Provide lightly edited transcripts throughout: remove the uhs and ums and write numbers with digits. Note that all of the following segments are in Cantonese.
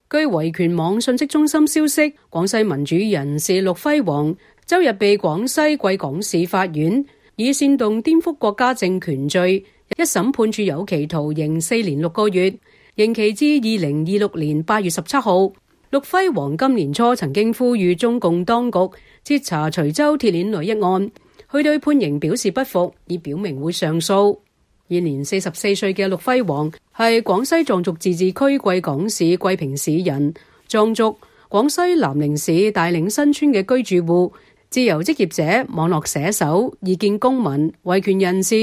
據維權網信息中心消息，廣西民主人士陸輝煌周日被廣西貴港市法院以煽動顛覆國家政權罪一審判處有期徒刑4年6個月，刑期至2026年8月17號。陸輝煌今年初曾經呼籲中共當局徹查徐州鐵鏈女一案，佢對判刑表示不服，已表明會上訴。現年44歲嘅陸輝煌係廣西壯族自治區貴港市貴平市人，壯族，廣西南寧市大嶺新村嘅居住戶，自由職業者、網絡寫手、異見公民、維權人士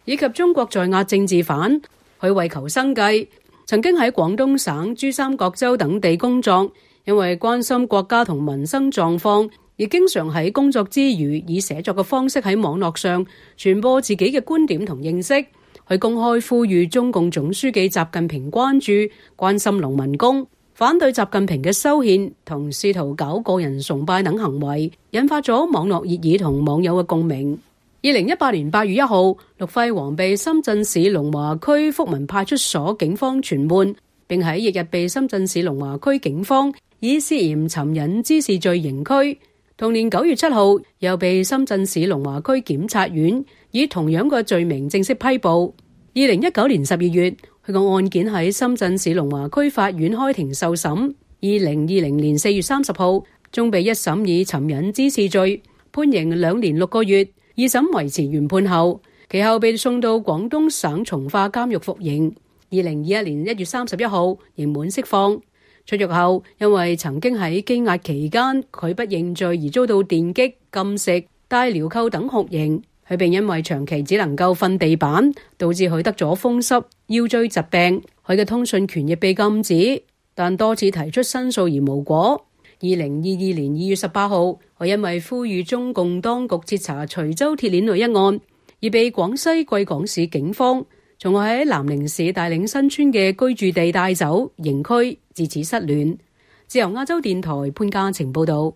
以及中國在押政治犯。佢為求生計，曾經喺廣東省珠三角洲等地工作，因為關心國家同民生狀況，而經常喺工作之餘以寫作嘅方式喺網絡上傳播自己嘅觀點同認識。佢公開呼籲中共總書記習近平關心農民工，反對習近平嘅修憲同試圖搞個人崇拜等行為，引發咗網絡熱議同網友嘅共鳴。2018年8月1號，陸輝煌被深圳市龍華區福民派出所警方傳喚，並喺翌日被深圳市龍華區警方以涉嫌尋釁滋事罪刑拘。同年9月7號，又被深圳市龍華區檢察院以同樣嘅罪名正式批捕。2019年12月，佢個案件喺深圳市龍華區法院開庭受審。2020年4月30號，終被一審以尋釁滋事罪判刑2年6個月。二審維持原判後，其後被送到廣東省從化監獄服刑。2021年1月31號，刑滿釋放。出獄後，因為曾經喺羈押期間拒不認罪而遭到電擊、禁食、戴鐐銬等酷刑。佢並因為長期只能夠瞓地板，導致佢得咗風濕、腰椎疾病。佢嘅通訊權亦被禁止，但多次提出申訴而無果。2022年2月18號，佢因為呼籲中共當局徹查徐州鐵鏈女一案，而被廣西貴港市警方從喺南寧市大嶺新村嘅居住地帶走，刑拘，自此失聯。自由亞洲電台潘嘉晴報道。